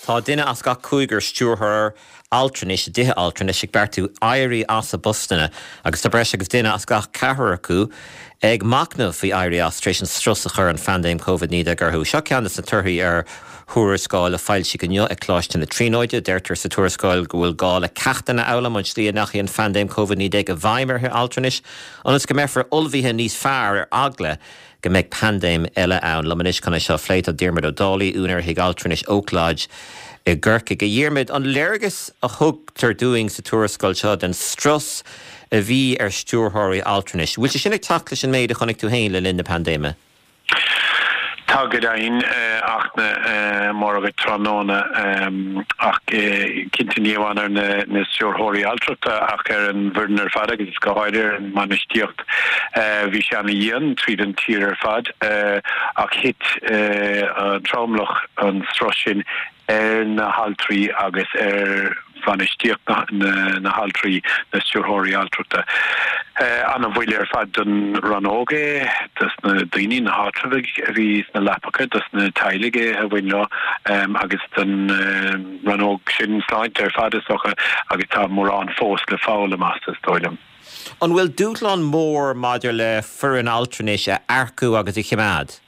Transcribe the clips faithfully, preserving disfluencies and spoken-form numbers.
Tá duine as gach cúigear stiúrthóir altranais i dtithe altranais ag beartú éirí as a bpostanna agus tá breis agus duine as gach ceathrar acu ag machnamh faoi éirí as tar éis an strus a chuir an phaindéim Covid naoi déag orthu. Seo ceann de na torthaí ar thuarascáil a foilsíodh inniu ag Coláiste na Tríonóide. Deirtear sa tuarascáil go bhfuil gá le ceachtanna a fhoghlaim ón tslí a ndeachaigh an phaindéim Covid naoi déag i bhfeidhm ar thithe altranais ionas go mbeifear ullmhaithe níos fearr ar eagla go mbeidh paindéim eile ann. Liom anois chun é seo a phlé tá Diarmuid Ó Dálaigh, úinéir thigh altranais Oak Lodge i gCorcaigh. A Dhiarmuid, an léargas a thugtar dúinn sa tuarascáil seo den strus a bhí ar stiúrthóirí altranais, bhfuil sé sin ag teacht leis an méid a chonaic tú féin le linn na paindéime? Tá go deimhin, Fhachtna, móra dhuit tráthnóna, ach cinnte ní amháin ar na stiúrthóirí altrachta ach ar an bhfoireann ar fad agus go háirithe ar an mbainistíocht. Bhí sé ana-dhian tríd an tír ar fad ach thit an tromlach an strus sin ar na haltraí agus ar bhainistíocht na haltraí, na stiúrthóirí altrachta. Ana-bhuille ar fad don rannóg é, dos na daoine, na háitreabhaigh a bhí sna leapacha, dos na teaghlaigh a bhain leo agus don rannóg sin sláinte ar fad is dócha agus tá mórán fós le foghlaim as, is dóigh liom. An bhfuil dúshlán mór maidir le foireann altranais a earcú agus a choimeád?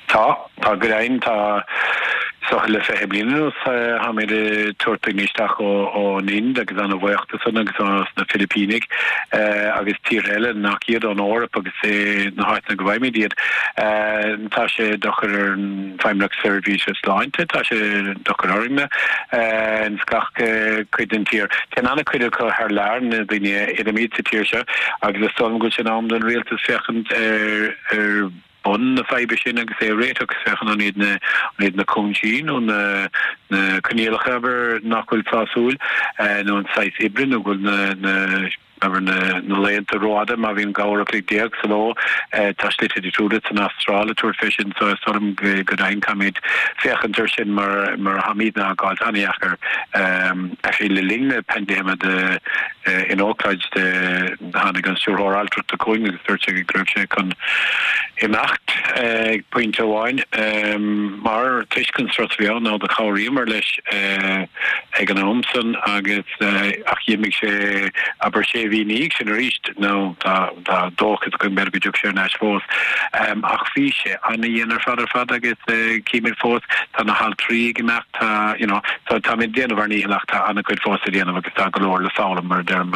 Tá, tá go deimhin, tá is dócha le fiche bliain anuas táimid ag tabhairt daoine isteach ón Ind agus ana-bhuíoch de san agus ó na Filipínigh agus tíortha eile nach iad ón Eoraip agus na háiteanna go bhfaighimid iad. Tá sé dochar ar an Feidhmeannacht Seirbhíse Sláinte, tá sé dochar orainne ins gach cuid den tír. Téann an-chuid acu thar lear, na daoine a oilimid sa tír seo agus is dóigh liom go bhfuil sé in am don rialtas féachaint ar ar bun na faidhbe sin agus é a réiteach, féachaint an iad na an iad na cúinsí nó na na coinníollacha abair nach bhfuil sásúil nó an saghas oibre nó go bhfuil na na abair na na laethanta rófhada má bhíonn dhá uair a chloig déag sa ló. Tá slite difriúla san Astráil ag tabhairt fé sin so is dóigh liom go deimhin caithfimid féachaint ar sin mar mar tháimidne á gcáilt an-dheacair actually le linn na paindéime de in Oak Lodge de Tháinig an stiúrthóir altrachta chugainn agus dúirt sé go raibh sé chun imeacht ag pointe amháin mar toisc an strus a bhí ann nó do chabhraíomar leis ag an am san agus ach d'imigh sé abair sé mhí ina dhiaidh sin arís nó tá tá dóchas againn b'fhéidir go dtiocfaidh sé ar ais fós ach bhí sé ana-dhian ar fad ar fad agus címid fós tá na haltraí ag imeacht tá you know so táimid ag déanamh ár ndícheall ach tá an-chuid fós le déanamh agus tá go leor le foghlaim mar a deirim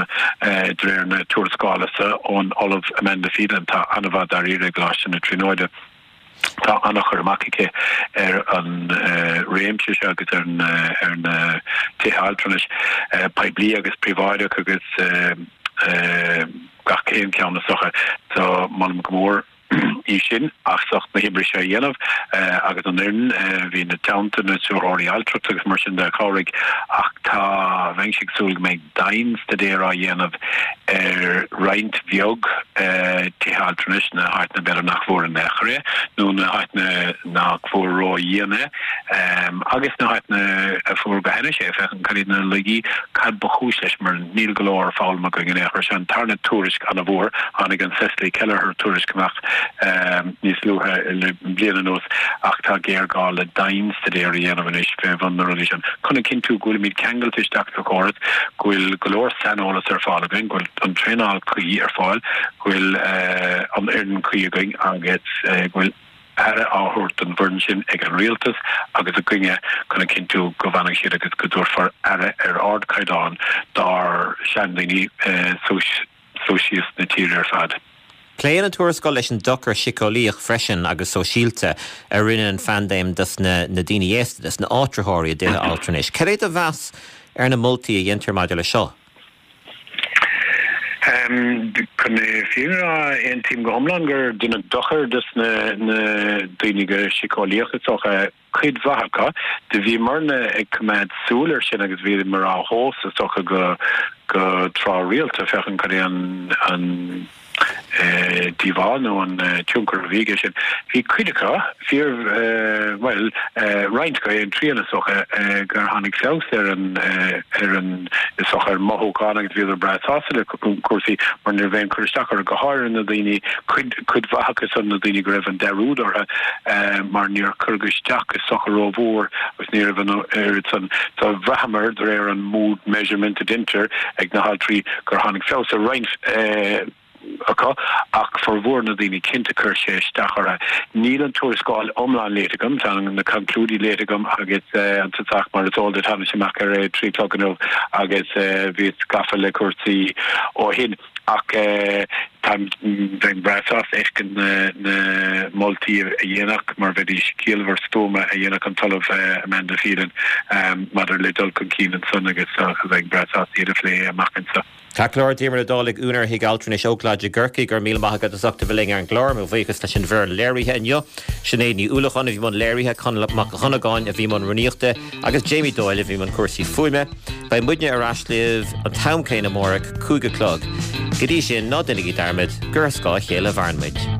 de réir na tuarascála so ón Ollamh Amanda Phelan atá an-mhaith dáiríre i gColáiste na Tríonóide. Tá an-chur amach aici ar an réimse seo agus ar ar na tithe altranais poiblí agus príobháideach agus gach aon cheann is dócha. So molaim go mór í sin as ucht na hoibre seo a dhéanamh agus an fhoireann a bhí ina teannta, na stiúrthóirí altrachta agus mar sin de a chabhraigh ach tá, bheinnse ag súil go mbeidh dianstaidéar á dhéanamh ar roinnt bheag tithe altranais, na háiteanna b'fhéidir nach bhfuair in aon chor é nó na háiteanna nach bhfuair ródhian é agus na háiteanna a fuair go hainnis é, féachaint cad iad na laigí, cad ba chúis leis mar níl go leor foghlamtha againn in aon chor. Seo an tarna tuairisc an-mhór, tháinig an Cecily Kelleher tuairisc amach níos luaithe le bliain anuas ach tá géarghá le dianstaidéar a dhéanamh anois fé bhun na rudaí sin chun a chinntiú go bhfuilimid ceangailte isteach sa chóras, go bhfuil go leor saineolas ar fáil againn, go bhfuil an traenáil cuí ar fáil, go bhfuil an fhoireann cuí againn agus go bhfuil aire á thabhairt don bhfoireann sin ag an rialtas agus againne chun a chinntiú go bhfanfaidh siad agus go dtabharfar aire ar ardchaighdeán dár seandaoine suas síos na tíre ar fad. Pléann an tuarascáil leis an dochar síceolaíoch freisin agus sóisialta a rinne an phaindéim dos na daoine aosta, dos na áitritheoirí i dtithe altranais. Cad é do mheas ar na moltaí a dhéantar maidir leis seo? Chun na fírinne a rá, aontaím go hiomlán gur deineadh dochar dos na daoine go síceolaíoch is dócha. cuid mhaith acu. Do bhíomarna ag coimeád súil air sin agus bhíomar á thomhas is dócha go go tráth rialta féachaint cad é an an díobháil nó an tionchar a bhí aige sin. Bhí cuid acu, fíor, bhuel, roinnt acu, aon trian is dócha, gur tháinig feabhas ar an, ar an, is dócha, ar mothúchán agus bhíodar breá sásta le cúrsaí mar ní raibh aon chur isteach orthu, go háirithe na daoine, cuid, cuid mhaith acu san, na daoine go raibh an dearúd orthu mar níor cuireadh isteach is dócha rómhór agus ní raibh an oiread san. So bhraitheamar, de réir an mood measurement a deintear ag na haltraí, gur tháinig feabhas ar roinnt acu ach formhór na daoine cinnte chuir sé isteach orthu. Níl an tuarascáil iomlán léite agam, tá na conclúidí léite agam agus an tSatharn mar is eol duit tháinig sé amach ar a trí a chlog inniu agus bhíos gafa le cúrsaí ó shin ach táim bheinn breá sásta fheiscint na na moltaí a dhéanfadh mar bheidís ciallmhar stuama a dhéanfadh an tOllamh Amanda Phelan maidir le dul chun cinn ansan agus bheinn breá sásta iad a phlé amach anseo. Ceart go leor, Diarmuid Ó Dálaigh, úinéir Thigh Altranais Oakland i gCorcaigh, go raibh míle maith agat as ucht a bheith linn ar an gclár. Mo bhuíochas leis an bhfoireann léirithe inniu, Sinéad Ní Uallacháin a bhí i mbun léirithe, Conall Mac Dhonnagáin a bhí i mbun rúnaíochta agus Jamie Doyle a bhí i mbun cúrsaí fuaime. Beidh muidne ar ais libh an t-am céanna amárach, cúig a chlog. Go dtí sin, ná déanaigí dearmad gur ar scáth a chéile a mhaireann muid.